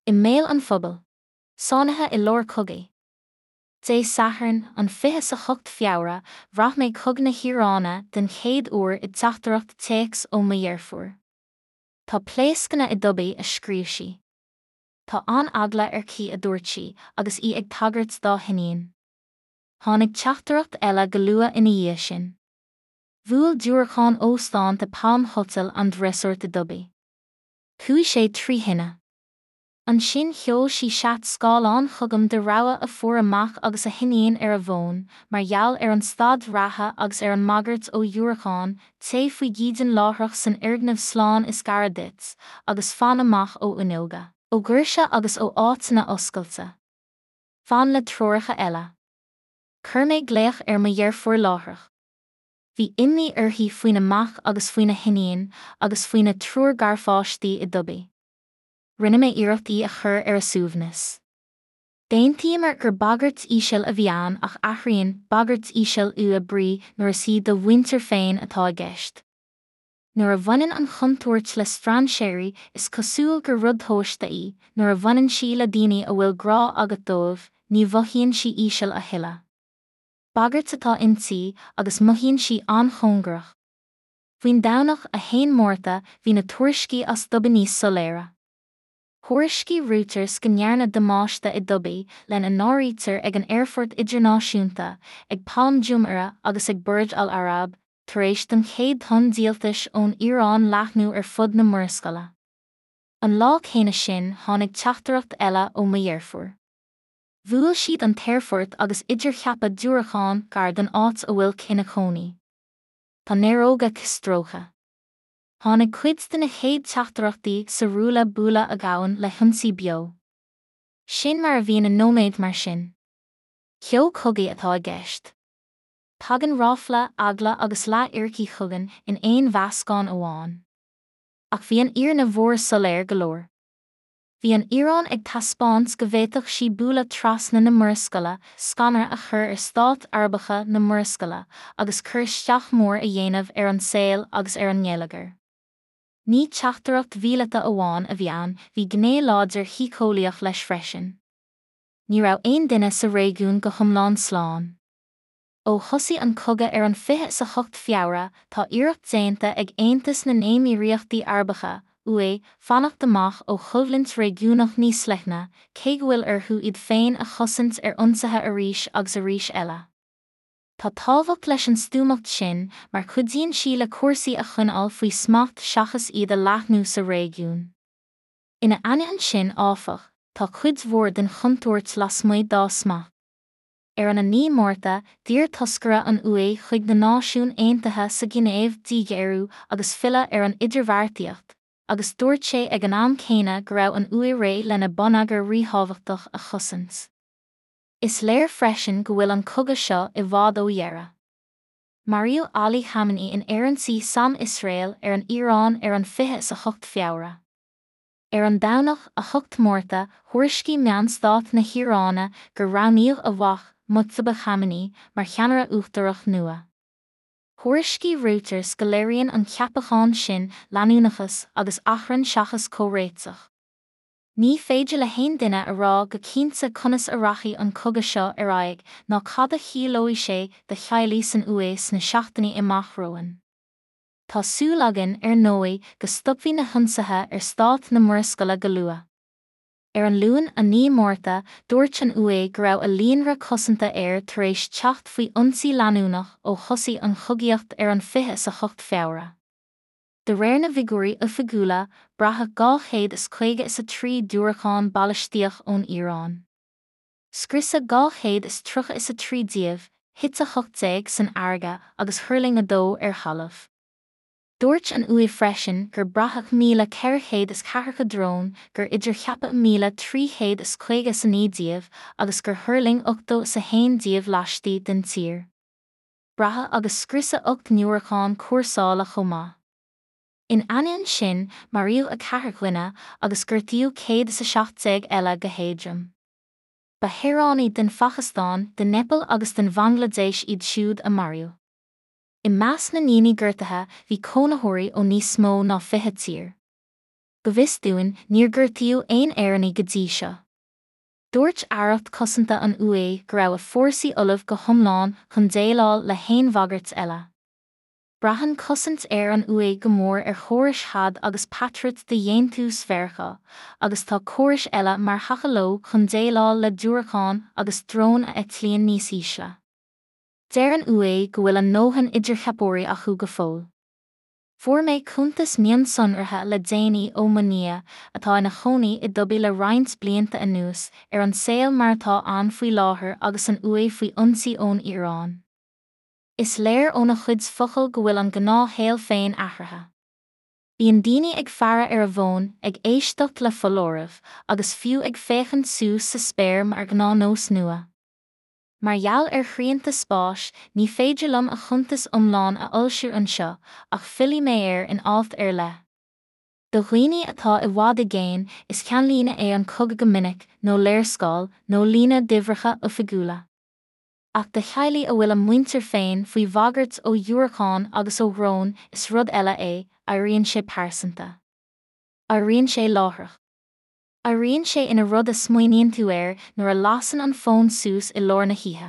I mbéal an phobail. Sáinnithe i lár cogaidh. Dé Sathairn, an 28 Feabhra, bhraith mé cogadh na hIaráine den chéad uair i dteachtaireacht téacs ó mo dheirfiúr. Tá pléascanna i Dubai, a scríobh sí. Tá an-eagla ar Chi a dúirt sí, agus í ag tagairt dá hiníon. Tháinig teachtaireacht eile go luath ina dhiaidh sin. Bhuail diúracán óstán The Palm Hotel and Resort i Dubai. Chuaigh sé trí thine. Ansin sheol sí seat scáileáin chugam de rabhadh a fuair a mac agus a hiníon ar a bhfón, mar gheall ar an staid reatha agus ar an mbagairt ó dhiúracáin, téigh faoi dhídean láithreach san fhoirgneamh slán is gaire duit, agus fan amach ó fhuinneoga, ó dhoirse agus ó áiteanna oscailte. Fan le treoracha eile. Chuir mé glaoch ar mo dheirfiúr láithreach. Bhí imní uirthi faoina mac agus faoina hiníon, agus faoina triúr garpháistí i Dubai. Rinne mé iarracht í a chur ar a suaimhneas. D'aontaíomar gur bagairt íseal a bhí ann ach athraíonn bagairt íseal a brí nuair is í do mhuintir féin atá i gceist. Nuair a bhaineann an chontúirt le strainséirí is cosúil gur rud tomhaiste í, nuair a bhaineann sí le daoine a bhfuil grá agat dóibh, ní mhothaíonn sí íseal a thuilleadh. Bagairt atá inti agus mothaíonn sí an-chóngarach. Faoin Domhnach 1 Márta bhí na tuairiscí as Dubai níos soiléire. Thuairiscigh Reuters go ndearnadh damáiste i Dubai, lena n-áirítear ag an aerfort idirnáisiúnta, ag Palm Jumeirah agus ag Burj Al Arab, tar éis don chéad tonn díoltais ón Iaráin leathnú ar fud na Murascaille. An lá céanna sin tháinig teachtaireacht eile ó mo dheirfiúr. Bhuail siad an t-aerfort agus idircheapadh diúracán gar don áit a bhfuil Chi ina cónaí. Tá néaróga Chi stróicthe. Tháinig cuid de na chéad teachtaireachtaí sa ruaille buaille a ghabhann le hionsaí beo. Sin mar a bhíonn i nóiméad mar sin. Ceo cogaidh atá i gceist. Tagann ráfla, eagla agus leath-fhíricí chugainn in aon mheascán amháin. Ach bhí an fhírinne mhór soiléir go leor. Bhí an Iaráin ag taispeáint go bhféadfadh sí bualadh trasna na Murascaille, scanradh a chur ar stáit Arabacha na Murascaille agus cur isteach mór a dhéanamh ar an saol agus ar an ngeilleagar. Ní teachtaireacht mhíleata amháin a bhí ann, bhí gné láidir shíceolaíoch leis freisin. Ní raibh aon duine sa réigiún go hiomlán slán. Ó thosaigh an cogadh ar an 28 Feabhra, tá iarracht déanta ag Aontas na nÉimíríochtaí Arabacha, UAE, fanacht amach ó choimhlint réigiúnach níos leithne, cé go bhfuil orthu iad féin a chosaint ar ionsaithe arís agus arís eile. Tá tábhacht leis an stuamacht sin mar cuidíonn sí le cúrsaí a choinneáil faoi smacht seachas iad a leathnú sa réigiún. Ina ainneoin sin, áfach, tá cuid mhór den chontúirt lasmuigh dá smacht. Ar an 9 Márta, d'iarr toscaire an UE chuig na Náisiúin Aontaithe sa Ghinéiv díghéarú agus filleadh ar an idirbheartaíocht, agus dúirt sé ag an am céanna go raibh an UE réidh lena bonneagar ríthábhachtach a chosaint. Is léir freisin go bhfuil an cogadh seo i bhfad ó dheireadh. Maraíodh Ali Khamenei in aerionsaí SAM-Iosrael ar an Iaráin ar an 28 Feabhra. Ar an Domhnach 8 Márta, thuairiscigh meáin stáit na hIaráine gur roghnaíodh a mhac, Mojtaba Khamenei, mar cheannaire uachtarach nua. Thuairiscigh Reuters go léiríonn an ceapachán sin leanúnachas agus achrann seachas comhréiteach. Ní féidir le haon duine a rá go cinnte conas a rachaidh an cogadh seo ar aghaidh ná cad a chiallóidh sé do theaghlaigh san UE sna seachtainí amach romhainn. Tá súil againn, ar ndóigh, go stopfaidh na hionsaithe ar stáit na Murascaille go luath. Ar an Luan 9 Márta, dúirt an UE go raibh a líonra cosanta aeir tar éis teacht faoi ionsaí leanúnach ó thosaigh an chogaíocht ar an 28 Feabhra. De réir na bhfigiúirí oifigiúla, braitheadh 253 diúracán balaistíoch ón Iaráin. Scriosadh 233 díobh, thit 18 san fharraige agus thuirling 2 ar thalamh. Dúirt an UE freisin gur braitheadh 1,440 drón, gur idircheapadh 1,359 díobh agus gur thuirling 81 díobh laistigh den tír. Braitheadh agus scriosadh 8 ndiúracán cúrsála chomh maith. In ainneoin sin, maraíodh 4 dhuine agus gortaíodh 117 eile go héadrom. Ba shaoránaigh den Phacastáin, den Neipeal agus den Bhanglaidéis iad siúd a maraíodh. I measc na ndaoine gortaithe bhí cónaitheoirí ó níos mó ná 20 tír. Go bhfios dúinn, níor gortaíodh aon Éireannaigh go dtí seo. Dúirt Aireacht Cosanta an UE go raibh a fórsaí ullamh go hiomlán chun déileáil le haon bhagairt eile. Braitheann cosaint aeir an UE go mór ar chórais THAAD agus Patriot de dhéantús Mheiriceá, agus tá córais eile mar thaca leo chun déileáil le diúracáin agus dróin a eitlíonn níos ísle. Deir an UE go bhfuil a ndóthain idircheapóirí acu go fóill. Fuair mé cuntas mionsonraithe le déanaí ó mo nia, atá ina chónaí i Dubai le roinnt blianta anuas, ar an saol mar atá ann faoi láthair agus an UE faoi ionsaí ón Iaráin. Is léir óna chuid focal go bhfuil an gnáthshaol féin athraithe. Bíonn daoine ag faire ar a bhfóin, ag éisteacht le foláirimh, agus fiú ag féachaint suas sa spéir mar ghnáthnós nua. Mar gheall ar shrianta spáis, ní féidir liom a chuntas iomlán a fhoilsiú anseo, ach fillfidh mé air in alt ar leith. Do dhaoine atá i bhfad i gcéin, is ceannlíne é an cogadh go minic, nó léarscáil, nó líne d'uimhreacha oifigiúla. Ach do theaghlaigh a bhfuil a muintir féin faoi bhagairt ó dhiúracáin agus ó dhróin, is rud eile é, éiríonn sé pearsanta. Éiríonn sé láithreach. Éiríonn sé ina rud a smaoiníonn tú air nuair a lasann an fón suas i lár na hoíche.